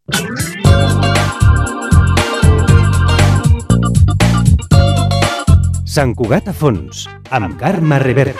Sant Cugat a fons, amb Carme Reverte.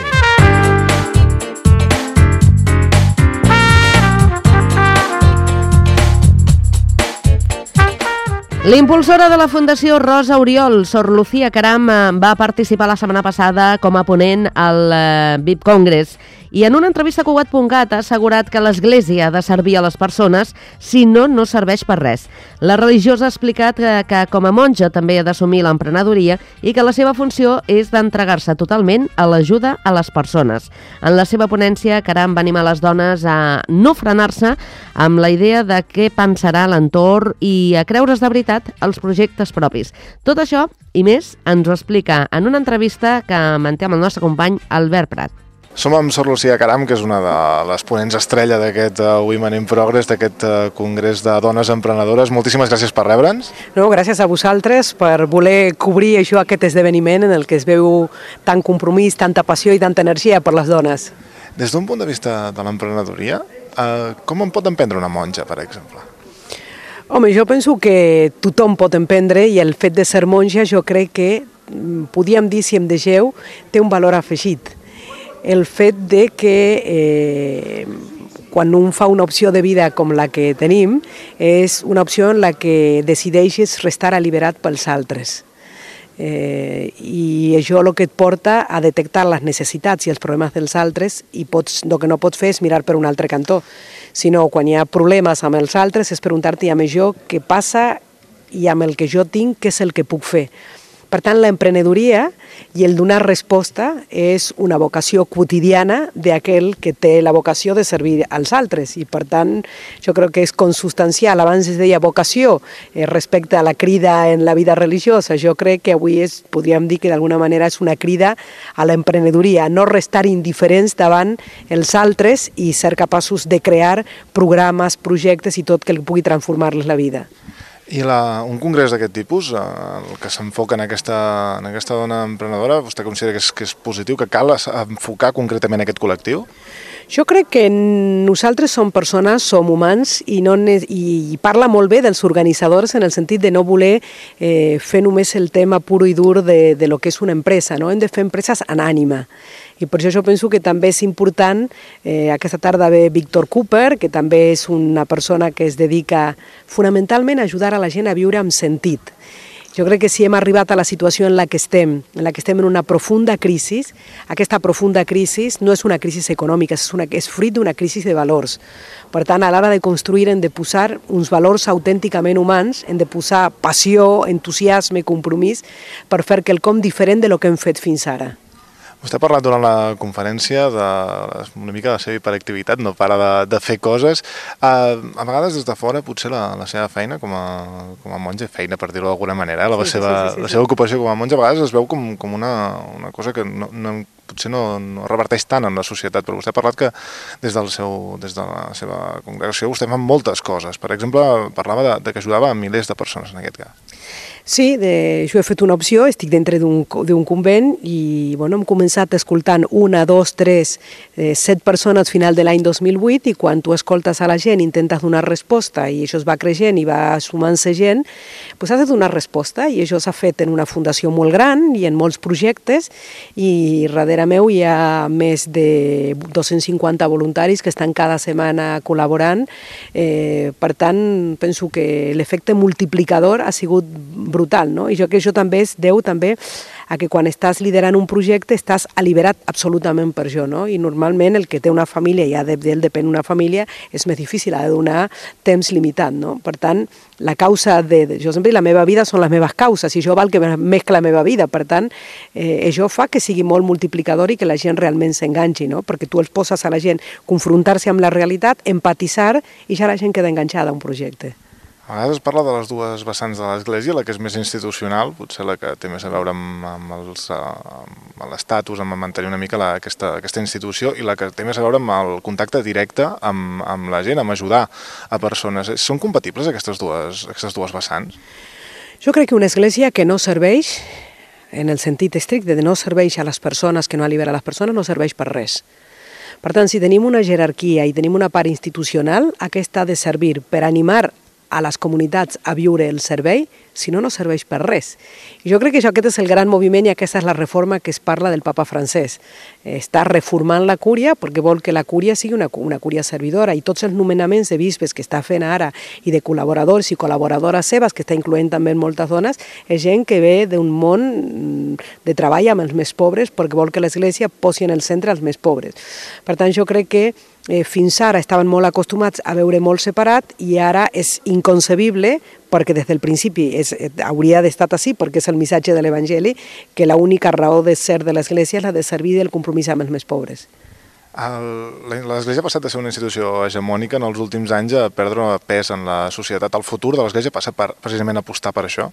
L'impulsora de la Fundació Rosa Oriol, Sor Lucía Caram, va participar la setmana passada com a ponent al VIP Congress i en una entrevista a Cugat.cat ha assegurat que l'Església ha de servir a les persones, si no, no serveix per res. La religiosa ha explicat que com a monja també ha d'assumir l'emprenedoria i que la seva funció és d'entregar-se totalment a l'ajuda a les persones. En la seva ponència, Caram va animar les dones a no frenar-se amb la idea de què pensarà l'entorn i a creure's de veritat els projectes propis. Tot això i més ens ho explica en una entrevista que manté amb el nostre company Albert Prat. Som amb Sor Lucía Caram, que és una de les ponents estrella d'aquest Women in Progress, d'aquest congrés de dones emprenedores. Moltíssimes gràcies per rebre'ns. No, gràcies a vosaltres per voler cobrir això, aquest esdeveniment en el que es veu tant compromís, tanta passió i tanta energia per les dones. Des d'un punt de vista de l'emprenedoria, com en pot emprendre una monja, per exemple? Home, jo penso que tothom pot emprendre i el fet de ser monja jo crec que, podríem dir, si em deixeu, té un valor afegit. El fet de que quan un fa una opció de vida com la que tenim és una opció en la que decideixes restar alliberat pels altres. I això el que et porta a detectar les necessitats i els problemes dels altres i el que no pots fer és mirar per un altre cantó, sinó quan hi ha problemes amb els altres és preguntar-te amb això què passa i amb el que jo tinc què és el que puc fer. Per tant, l'emprenedoria i el donar resposta és una vocació quotidiana d'aquell que té la vocació de servir als altres i, per tant, jo crec que és consubstancial. Abans es deia vocació respecte a la crida en la vida religiosa. Jo crec que avui podríem dir que d'alguna manera és una crida a l'emprenedoria, no restar indiferents davant els altres i ser capaços de crear programes, projectes i tot que pugui transformar-les la vida. I un congrés d'aquest tipus, el que s'enfoca en aquesta dona emprenedora, vostè considera que és positiu, que cal enfocar concretament aquest col·lectiu? Jo crec que nosaltres som persones, som humans i parla molt bé dels organitzadors en el sentit de no voler fer només el tema puro i dur de lo que és una empresa, no? Hem de fer empreses en ànima. I per això jo penso que també és important, aquesta tarda ve Víctor Cooper, que també és una persona que es dedica fonamentalment a ajudar a la gent a viure amb sentit. Jo crec que si hem arribat a la situació en la que estem en una profunda crisi, aquesta profunda crisi no és una crisi econòmica, és fruit d'una crisi de valors. Per tant, a l'hora de construir hem de posar uns valors autènticament humans, hem de posar passió, entusiasme, compromís per fer quelcom diferent de lo que hem fet fins ara. Vostè ha parlat durant la conferència una mica de la seva hiperactivitat, no para de fer coses. A vegades des de fora potser la seva feina com a monja, feina per dir-ho d'alguna manera, la seva ocupació com a monja a vegades es veu com una cosa que potser no reverteix tant en la societat, però vostè ha parlat que des de la seva congregació vostè fa moltes coses. Per exemple, parlava de que ajudava a milers de persones en aquest cas. Sí, jo he fet una opció, estic dintre d'un convent i hem començat escoltant 1, 2, 3, 7 persones al final de l'any 2008 i quan tu escoltes a la gent, intentes donar resposta i això es va creixent i va sumant-se gent, doncs has de donar resposta i això s'ha fet en una fundació molt gran i en molts projectes i darrere meu hi ha més de 250 voluntaris que estan cada setmana col·laborant. Per tant, penso que l'efecte multiplicador ha sigut brutal, no? I jo que això també es deu també a que quan estàs liderant un projecte estàs alliberat absolutament per això, no? I normalment el que té una família, ja d'ell depèn una família, és més difícil, ha de donar temps limitat, no? Per tant, la causa jo sempre dic, la meva vida són les meves causes, i això val que més que la meva vida, per tant, això fa que sigui molt multiplicador i que la gent realment s'enganxi, no? Perquè tu els poses a la gent confrontar-se amb la realitat, empatitzar, i ja la gent queda enganxada a un projecte. A vegades es parla de les dues vessants de l'Església, la que és més institucional, potser la que té més a veure amb l'estatus, amb mantenir una mica aquesta institució, i la que té més a veure amb el contacte directe amb la gent, amb ajudar a persones. Són compatibles aquestes dues vessants? Jo crec que una església que no serveix, en el sentit estricte de no serveix a les persones, que no allibera les persones, no serveix per res. Per tant, si tenim una jerarquia i tenim una part institucional, aquesta ha de servir per animar a les comunitats a viure el servei, si no, no serveix per res. I jo crec que aquest és el gran moviment i aquesta és la reforma que es parla del papa francès. Està reformant la cúria perquè vol que la cúria sigui una cúria servidora i tots els nomenaments de bisbes que està fent ara i de col·laboradors i col·laboradores seves, que està incloent també moltes dones, és gent que ve d'un món de treball amb els més pobres perquè vol que l'Església posi en el centre els més pobres. Per tant, jo crec que fins ara estaven molt acostumats a veure molt separat i ara és inconcebible, perquè des del principi hauria d'estar així, perquè és el missatge de l'Evangeli, que l'única raó de ser de l'Església és la de servir del compromís amb els més pobres. L'Església ha passat a ser una institució hegemònica en els últims anys a perdre pes en la societat. El futur de l'Església passa precisament a apostar per això?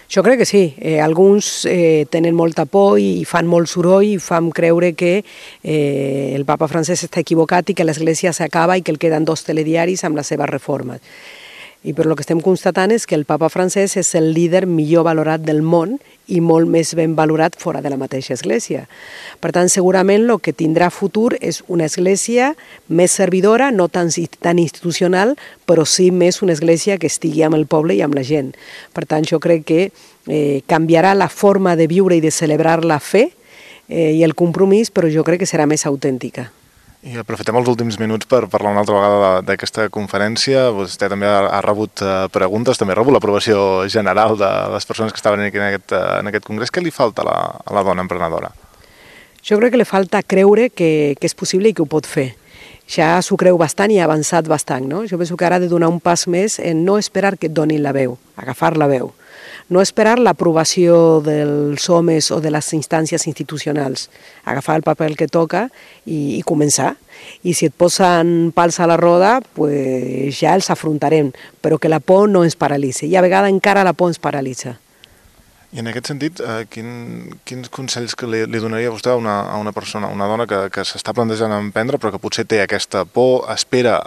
Jo crec que sí. Alguns tenen molta por i fan molt soroll i fan creure que el papa francès està equivocat i que l'Església s'acaba i que el queden 2 telediaris amb les seves reformes. I per el que estem constatant és que el papa francès és el líder millor valorat del món i molt més ben valorat fora de la mateixa Església. Per tant, segurament el que tindrà futur és una Església més servidora, no tan institucional, però sí més una Església que estigui amb el poble i amb la gent. Per tant, jo crec que canviarà la forma de viure i de celebrar la fe i el compromís, però jo crec que serà més autèntica. I aprofitem els últims minuts per parlar una altra vegada d'aquesta conferència. Vostè també ha rebut preguntes, també ha rebut l'aprovació general de les persones que estaven aquí en aquest congrés. Què li falta a la dona emprenedora? Jo crec que li falta creure que és possible i que ho pot fer. Ja s'ho creu bastant i ha avançat bastant, no? Jo penso que ara ha de donar un pas més en no esperar que et donin la veu, agafar la veu. No esperar l'aprovació dels homes o de les instàncies institucionals, agafar el paper que toca i començar. I si et posen pals a la roda, pues ja els afrontarem, però que la por no ens paralitza. I a vegades encara la por ens paralitza. I en aquest sentit, quins consells que li donaria vostè a una persona, una dona que s'està plantejant emprendre però que potser té aquesta por, espera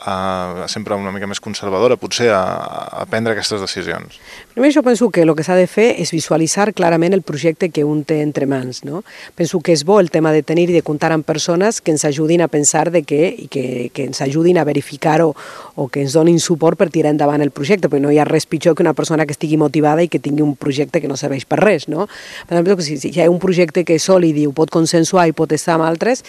sempre una mica més conservadora, potser a prendre aquestes decisions? Primer jo penso que el que s'ha de fer és visualitzar clarament el projecte que un té entre mans. No? Penso que és bo el tema de tenir i de comptar amb persones que ens ajudin a pensar i que ens ajudin a verificar o que ens donin suport per tirar endavant el projecte, perquè no hi ha res pitjor que una persona que estigui motivada i que tingui un projecte que no serveix per res, no? Per exemple, si hi ha un projecte que és sòlid i ho pot consensuar i pot estar amb altres,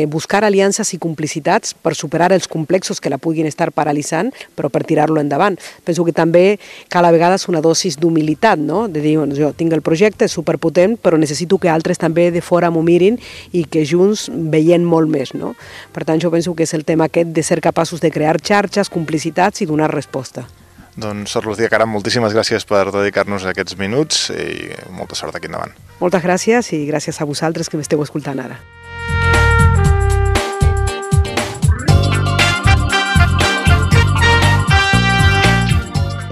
buscar aliances i complicitats per superar els complexos que la puguin estar paralitzant, però per tirar-lo endavant. Penso que també cal a vegades una dosis d'humilitat, no? De dir, jo tinc el projecte, és superpotent, però necessito que altres també de fora m'ho mirin i que junts veiem molt més, no? Per tant, jo penso que és el tema aquest de ser capaços de crear xarxes, complicitats i donar resposta. Doncs, Sor Lucía Caram, moltíssimes gràcies per dedicar-nos aquests minuts i molta sort aquí endavant. Moltes gràcies i gràcies a vosaltres que m'esteu escoltant ara.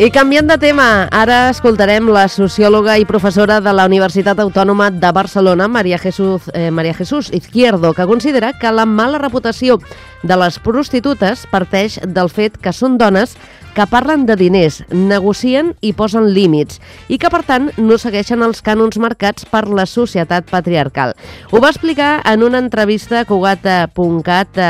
I canviant de tema, ara escoltarem la sociòloga i professora de la Universitat Autònoma de Barcelona, María Jesús Izquierdo, que considera que la mala reputació de les prostitutes parteix del fet que són dones que parlen de diners, negocien i posen límits i que, per tant, no segueixen els cànons marcats per la societat patriarcal. Ho va explicar en una entrevista a Cugat.cat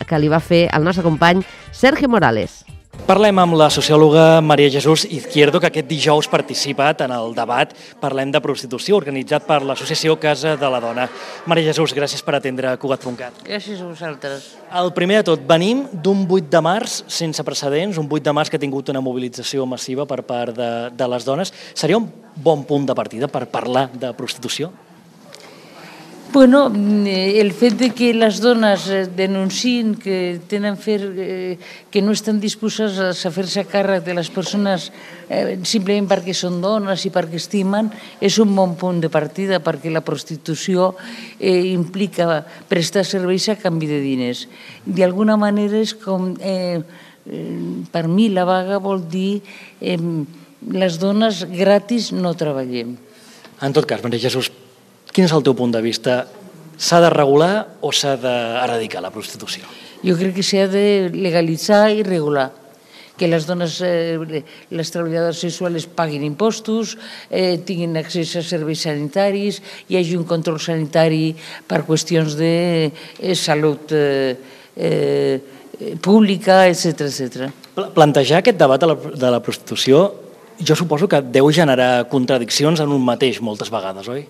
que li va fer el nostre company Sergio Morales. Parlem amb la sociòloga María Jesús Izquierdo, que aquest dijous ha participat en el debat Parlem de prostitució, organitzat per l'associació Casa de la Dona. María Jesús, gràcies per atendre Cugat.cat. Gràcies a vosaltres. El primer de tot, venim d'un 8 de març sense precedents, un 8 de març que ha tingut una mobilització massiva per part de les dones. Seria un bon punt de partida per parlar de prostitució? Bueno, el fet de que les dones denunciïn que que no estan disposades a fer-se càrrec de les persones simplement perquè són dones i perquè estimen és un bon punt de partida, perquè la prostitució implica prestar serveis a canvi de diners. D'alguna manera és com, per mi la vaga vol dir les dones gratis no treballem. En tot cas, María Jesús, quin és el teu punt de vista? S'ha de regular o s'ha d'erradicar la prostitució? Jo crec que s'ha de legalitzar i regular. Que les dones, les treballadores sexuals paguin impostos, tinguin accés a serveis sanitaris, hi hagi un control sanitari per qüestions de salut pública, etc. Plantejar aquest debat de la prostitució jo suposo que deu generar contradiccions en un mateix moltes vegades, oi?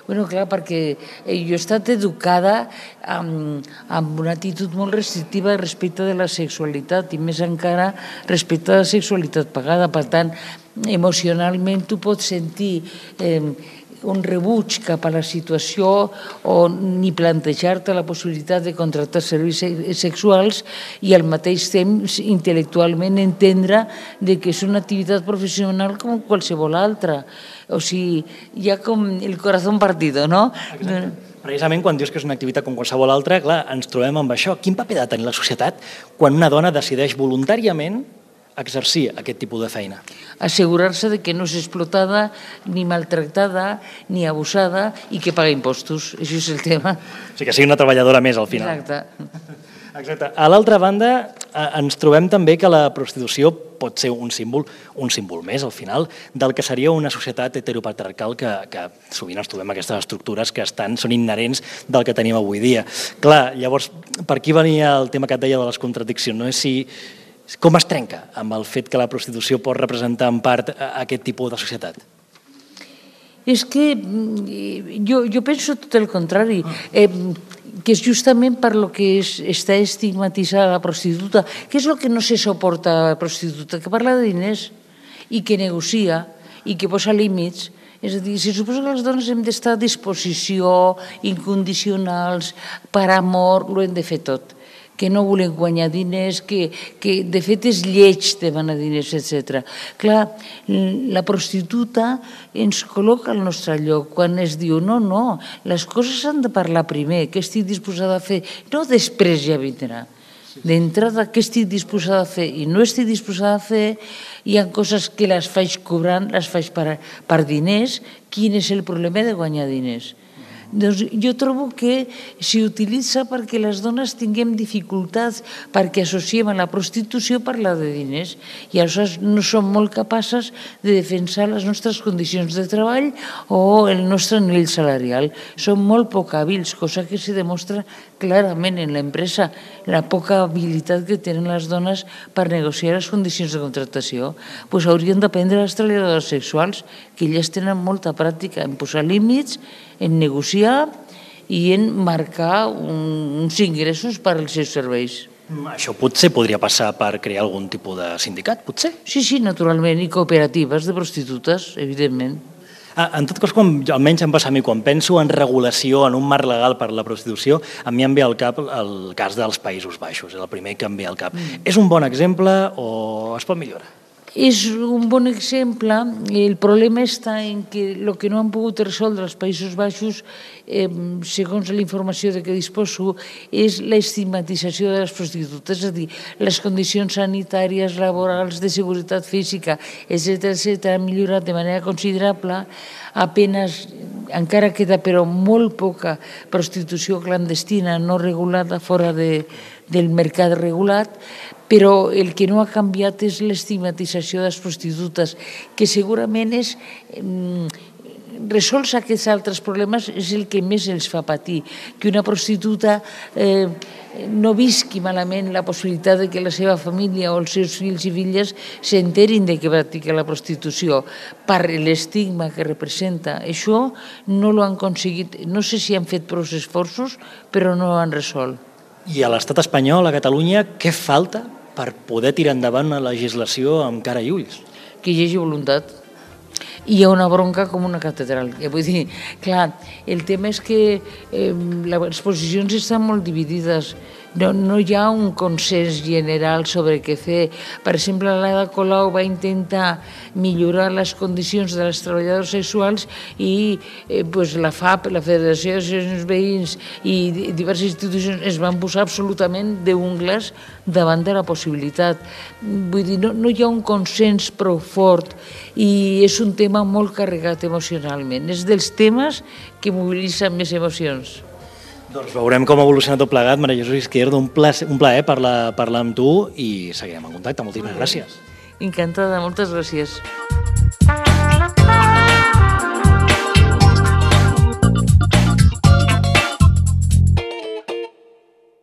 Bueno, clar, perquè jo he estat educada amb una actitud molt restrictiva respecte de la sexualitat i més encara respecte a la sexualitat pagada. Per tant, emocionalment tu pots sentir un rebuig cap a la situació o ni plantejar-te la possibilitat de contractar serveis sexuals i al mateix temps intel·lectualment entendre que és una activitat professional com qualsevol altra. O sigui, hi ha com el corazón partido, no? Precisament quan dius que és una activitat com qualsevol altra, clar, ens trobem amb això. Quin paper ha de tenir la societat quan una dona decideix voluntàriament exercir aquest tipus de feina? Assegurar-se de que no és explotada, ni maltractada, ni abusada i que paga impostos. Això és el tema. O sigui, que sigui una treballadora més al final. Exacte. A l'altra banda, ens trobem també que la prostitució pot ser un símbol més, al final, del que seria una societat heteropatriarcal que sovint ens trobem aquestes estructures que són inherents del que tenim avui dia. Clar, llavors, per aquí venia el tema que et deia de les contradiccions, no? Com es trenca amb el fet que la prostitució pot representar en part aquest tipus de societat? És que jo penso tot el contrari, que és justament per lo que està estigmatitzada la prostituta, que és el que no se suporta a la prostituta, que parla de diners i que negocia i que posa límits. És a dir, se suposa que les dones hem d'estar a disposició, incondicionals, per amor, ho hem de fer tot, que no volen guanyar diners, que de fet és lleig demanar diners, etc. Clar, la prostituta ens col·loca al nostre lloc quan es diu no, les coses s'han de parlar primer, què estic disposada a fer, no després ja vindrà. D'entrada, què estic disposada a fer i no estic disposada a fer, hi ha coses que les faig cobrant, les faig per diners, quin és el problema de guanyar diners? Doncs jo trobo que s'utilitza perquè les dones tinguem dificultats, perquè associem a la prostitució parlar de diners i aleshores no som molt capaces de defensar les nostres condicions de treball o el nostre nivell salarial. Som molt poc hàbils, cosa que se demostra clarament en l'empresa, la poca habilitat que tenen les dones per negociar les condicions de contractació. Doncs haurien d'aprendre les treballadores sexuals, que elles tenen molta pràctica en posar límits, en negociar i en marcar uns ingressos per als seus serveis. Això potser podria passar per crear algun tipus de sindicat, potser? Sí, naturalment, i cooperatives de prostitutes, evidentment. En tot cas, almenys em passa a mi, quan penso en regulació, en un marc legal per la prostitució, a mi em ve al cap el cas dels Països Baixos, és el primer que em ve al cap. És un bon exemple o es pot millorar? És un bon exemple. El problema està en que el que no han pogut resoldre els Països Baixos, segons la informació de què disposo, és l'estigmatització de les prostitutes, és a dir, les condicions sanitàries, laborals, de seguretat física, etc., han millorat de manera considerable. Apenas, encara queda però molt poca prostitució clandestina no regulada fora del mercat regulat, però el que no ha canviat és l'estigmatització de les prostitutes, que segurament és resols aquests altres problemes és el que més els fa patir, que una prostituta no visqui malament la possibilitat de que la seva família o els seus fills i filles s'enterin de que practica la prostitució per l'estigma que representa. Això no l'ho han aconseguit, no sé si han fet prou esforços, però no ho han resolt. I a l'estat espanyol, a Catalunya, què falta per poder tirar endavant una legislació amb cara i ulls? Que hi hagi voluntat. I hi ha una bronca com una catedral. Vull dir, clar, el tema és que les posicions estan molt dividides. No hi ha un consens general sobre què fer. Per exemple, l'Ada Colau va intentar millorar les condicions de les treballadores sexuals i la FAP, la Federació d'Associacions Veïns i diverses institucions es van posar absolutament d'ungles davant de la possibilitat. Vull dir, no hi ha un consens prou fort i és un tema molt carregat emocionalment. És dels temes que mobilitzen més emocions. Doncs veurem com ha evolucionat tot plegat. Maria Jesús Izquierdo, un plaer parlar amb tu i seguirem en contacte. Moltíssimes gràcies. Encantada, moltes gràcies.